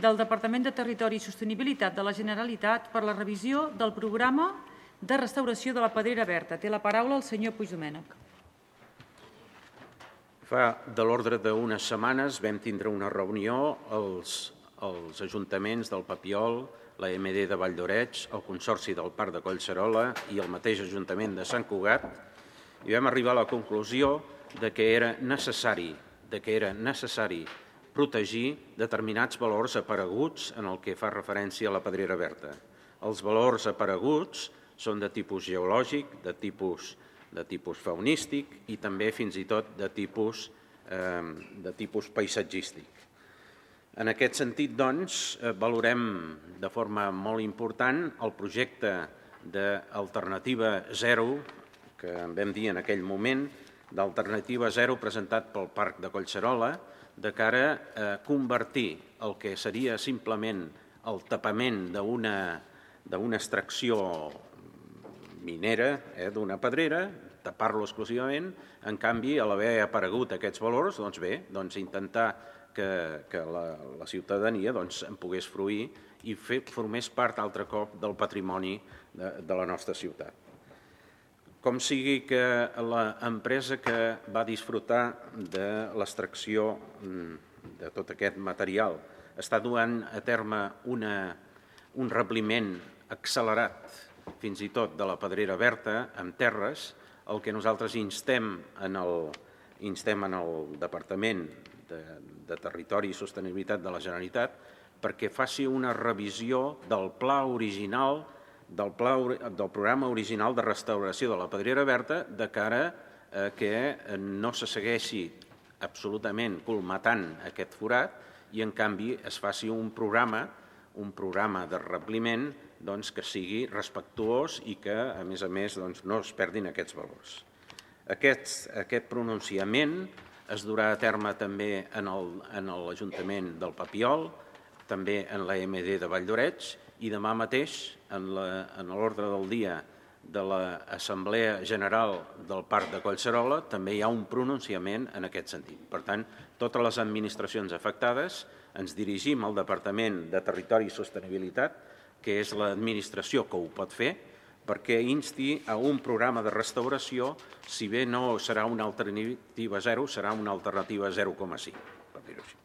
del Departament de Territori i Sostenibilitat de la Generalitat per la revisió del programa de restauració de la Pedrera Berta. Té la paraula el senyor Puigdomènech. Fa de l'ordre d'unes setmanes vam tindre una reunió als ajuntaments del Papiol, la MD de Valldoreix, el Consorci del Parc de Collserola i el mateix Ajuntament de Sant Cugat, i vam arribar a la conclusió que era necessari protegir determinats valors apareguts en el que fa referència a la Pedrera Berta. Els valors apareguts són de tipus geològic, de tipus faunístic i també fins i tot de tipus paisatgístic. En aquest sentit, doncs, valorem de forma molt important el projecte d'Alternativa Zero, que en vam dir en aquell moment, d'Alternativa Zero presentat pel Parc de Collserola, de cara a convertir el que seria simplement el tapament d'una extracció minera, d'una pedrera, tapar-lo exclusivament. En canvi, a l'haver aparegut aquests valors, doncs intentar que la ciutadania en pogués fruir i formés part altre cop del patrimoni de la nostra ciutat. Com sigui que l'empresa que va disfrutar de l'extracció de tot aquest material està duent a terme un rebliment accelerat, fins i tot de la Pedrera Berta, amb terres, el que nosaltres instem en el Departament de Territori i Sostenibilitat de la Generalitat perquè faci una revisió del pla original del programa original de restauració de la Pedrera Berta de cara a que no se segueixi absolutament colmatant aquest forat i en canvi es faci un programa de rebliment que sigui respectuós i que a més no es perdin aquests valors. Aquest pronunciament es durà a terme també en l'Ajuntament del Papiol, també en la MD de Valldoreix i demà mateix en l'ordre del dia de l'Assemblea General del Parc de Collserola també hi ha un pronunciament en aquest sentit. Per tant, totes les administracions afectades ens dirigim al Departament de Territori i Sostenibilitat, que és l'administració que ho pot fer, perquè insti a un programa de restauració, si bé no serà una alternativa zero, serà una alternativa 0,5, per dir-ho així.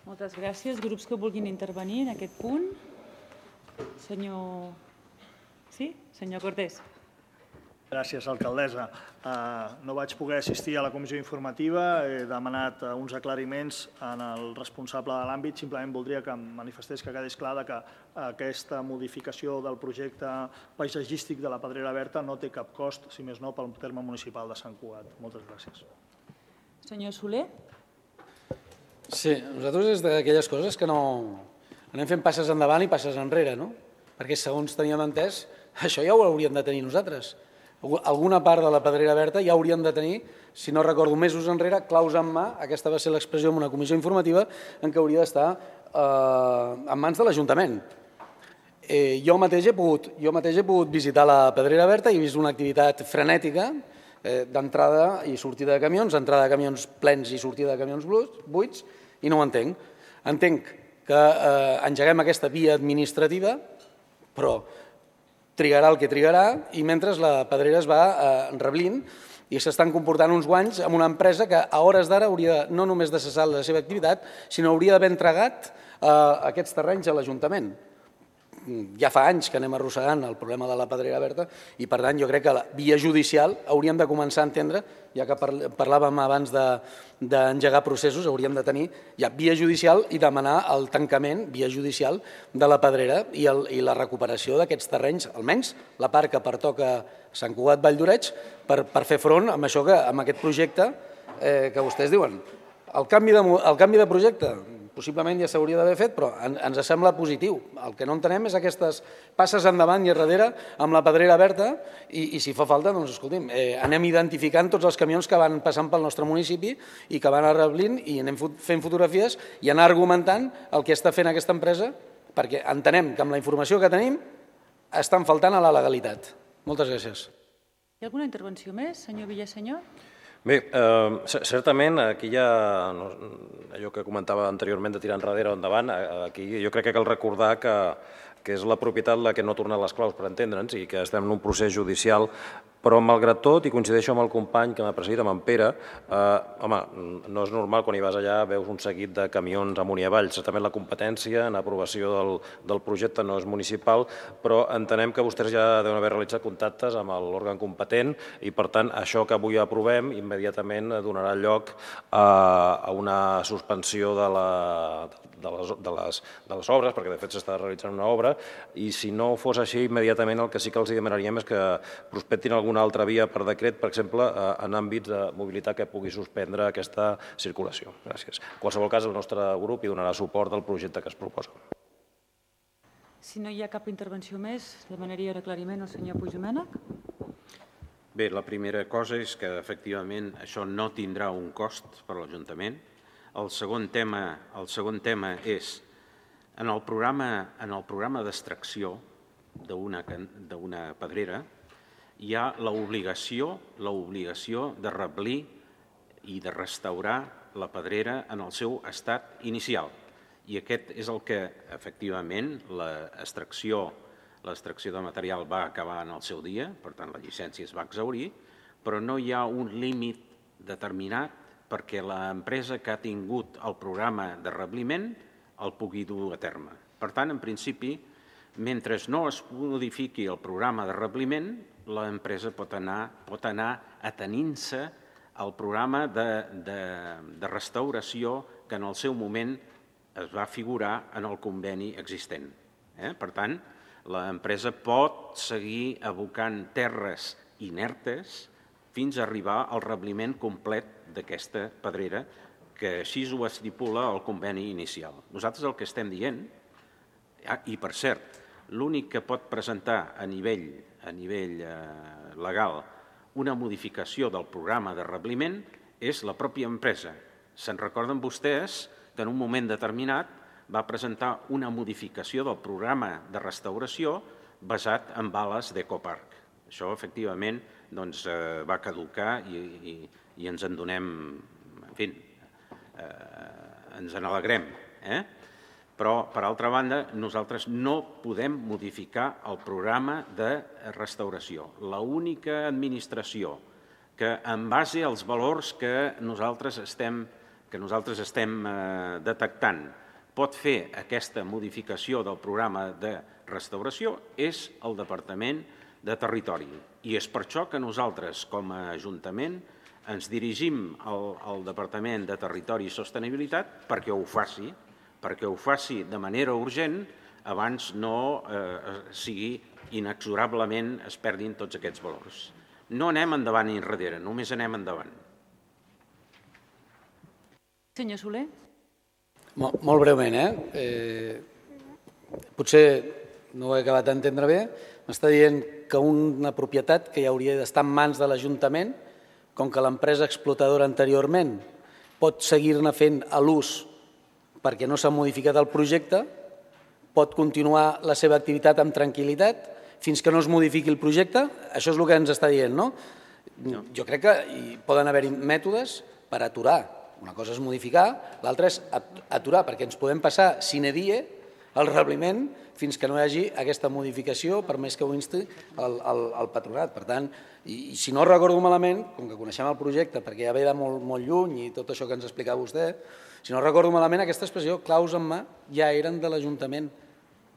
Moltes gràcies. Grups que vulguin intervenir en aquest punt. Senyor Cortés. Gràcies, alcaldessa. No vaig poder assistir a la comissió informativa, he demanat uns aclariments al responsable de l'àmbit. Simplement voldria que em manifestés, que quedés clar que aquesta modificació del projecte paisatgístic de la Pedrera Berta no té cap cost, si més no, pel terme municipal de Sant Cugat. Moltes gràcies. Senyor Soler. Sí, nosaltres és d'aquelles coses que no anem fent passes endavant i passes enrere, no? Perquè segons teníem entès, això ja ho hauríem de tenir nosaltres. Alguna part de la Pedrera Berta ja hauríem de tenir, si no recordo, mesos enrere, claus en mà, aquesta va ser l'expressió en una comissió informativa, en què hauria d'estar en mans de l'Ajuntament. Jo mateix he pogut visitar la Pedrera Berta i he vist una activitat frenètica d'entrada i sortida de camions, entrada de camions plens i sortida de camions buits, i no ho entenc. Entenc que engeguem aquesta via administrativa, però trigarà el que trigarà i mentre la Pedrera es va reblint i s'estan comportant uns guanys amb una empresa que a hores d'ara hauria no només de cessar la seva activitat, sinó hauria d'haver entregat aquests terrenys a l'Ajuntament. Ja fa anys que anem arrossegant el problema de la Pedrera Berta i, per tant, jo crec que la via judicial hauríem de començar a entendre, ja que parlàvem abans d'engegar processos, hauríem de tenir ja via judicial i demanar el tancament, via judicial, de la Pedrera i la recuperació d'aquests terrenys, almenys la part que pertoca Sant Cugat Valldoreix, per fer front amb això, amb aquest projecte que vostès diuen. El canvi de projecte possiblement ja s'hauria d'haver fet, però ens sembla positiu. El que no entenem és aquestes passes endavant i enrere amb la Pedrera Berta i si fa falta, doncs, escolti'm, anem identificant tots els camions que van passant pel nostre municipi i que van arreblint i anem fent fotografies i anar argumentant el que està fent aquesta empresa, perquè entenem que amb la informació que tenim estan faltant a la legalitat. Moltes gràcies. Hi ha alguna intervenció més, senyor Villasenyor? Bé, certament aquí hi ha allò que comentava anteriorment de tirar enrere o endavant. Aquí jo crec que cal recordar que és la propietat la que no ha tornat les claus, per entendre'ns, i que estem en un procés judicial, però malgrat tot, i coincideixo amb el company que m'ha precedit, amb en Pere, home, no és normal quan hi vas allà veus un seguit de camions amunt i avall. Certament la competència en aprovació del projecte no és municipal, però entenem que vostès ja deuen haver realitzat contactes amb l'òrgan competent i, per tant, això que avui aprovem immediatament donarà lloc a una suspensió de les obres, perquè de fet s'està realitzant una obra, i si no fos així, immediatament el que sí que els demanaríem és que prospectin alguna altra via per decret, per exemple, en àmbits de mobilitat que pugui suspendre aquesta circulació. Gràcies. En qualsevol cas, el nostre grup hi donarà suport al projecte que es proposa. Si no hi ha cap intervenció més, demanaria un aclariment al senyor Puigdomènech. Bé, la primera cosa és que, efectivament, això no tindrà un cost per a l'Ajuntament. El segon tema és, en el programa d'extracció d'una pedrera, hi ha l'obligació de reblir i de restaurar la pedrera en el seu estat inicial. I aquest és el que, efectivament, l'extracció de material va acabar en el seu dia, per tant, la llicència es va exhaurir, però no hi ha un límit determinat perquè l'empresa que ha tingut el programa de rebliment el pugui dur a terme. Per tant, en principi, mentre no es modifiqui el programa de rebliment, l'empresa pot anar atenint-se al programa de restauració que en el seu moment es va figurar en el conveni existent. Per tant, l'empresa pot seguir abocant terres inertes fins a arribar al rebliment complet d'aquesta pedrera, que així ho estipula el conveni inicial. Nosaltres el que estem dient, i per cert, l'únic que pot presentar a nivell legal una modificació del programa de rebliment és la pròpia empresa. Se'n recorden vostès que en un moment determinat va presentar una modificació del programa de restauració basat en bales d'Ecopark. Això, efectivament, va caducar i ens en donem, en fi, ens en alegrem. Però, per altra banda, nosaltres no podem modificar el programa de restauració. L'única administració que, en base als valors que nosaltres estem detectant, pot fer aquesta modificació del programa de restauració és el Departament de Territori. I és per això que nosaltres, com a Ajuntament, ens dirigim al Departament de Territori i Sostenibilitat perquè ho faci de manera urgent abans no sigui inexorablement es perdin tots aquests valors. No anem endavant ni enrere, només anem endavant. Senyor Soler. Molt breument, potser no ho he acabat d'entendre bé. M'està dient que una propietat que ja hauria d'estar en mans de l'Ajuntament, com que l'empresa explotadora anteriorment pot seguir-ne fent l'ús perquè no s'ha modificat el projecte, pot continuar la seva activitat amb tranquil·litat fins que no es modifiqui el projecte? Això és el que ens està dient, no? Jo crec que hi poden haver-hi mètodes per aturar. Una cosa és modificar, l'altra és aturar, perquè ens podem passar sine die el rebliment fins que no hi hagi aquesta modificació, per més que ho insti el patronat. Per tant, i si no recordo malament, com que coneixem el projecte, perquè ja ve de molt lluny i tot això que ens explicava vostè, si no recordo malament, aquesta expressió, claus en mà, ja eren de l'Ajuntament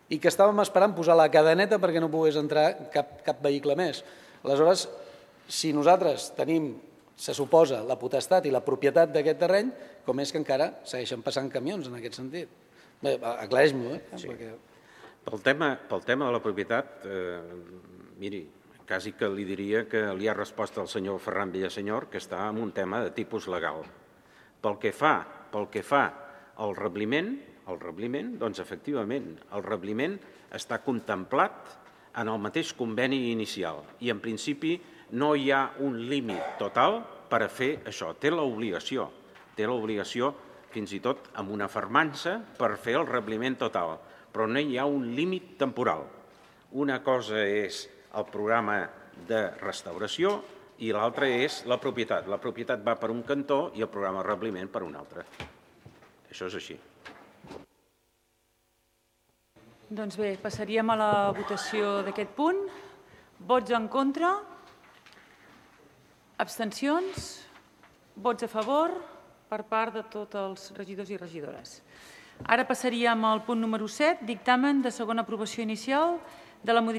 i que estàvem esperant posar la cadeneta perquè no pogués entrar cap vehicle més. Aleshores, si nosaltres tenim, se suposa, la potestat i la propietat d'aquest terreny, com és que encara segueixen passant camions en aquest sentit? Bé, aclareix-m'ho, perquè... Pel tema de la propietat, miri, quasi que li diria que li ha respost al senyor Ferran Villasenyor que està en un tema de tipus legal. Pel que fa al rebliment, doncs efectivament, el rebliment està contemplat en el mateix conveni inicial i en principi no hi ha un límit total per a fer això. Té l'obligació fins i tot amb una fermança per fer el rebliment total, però no hi ha un límit temporal. Una cosa és el programa de restauració i l'altre és la propietat. La propietat va per un cantó i el programa de rebliment per un altre. Això és així. Doncs bé, passaríem a la votació d'aquest punt. Vots en contra? Abstencions? Vots a favor per part de tots els regidors i regidores. Ara passaríem al punt número 7, dictamen de segona aprovació inicial de la modificació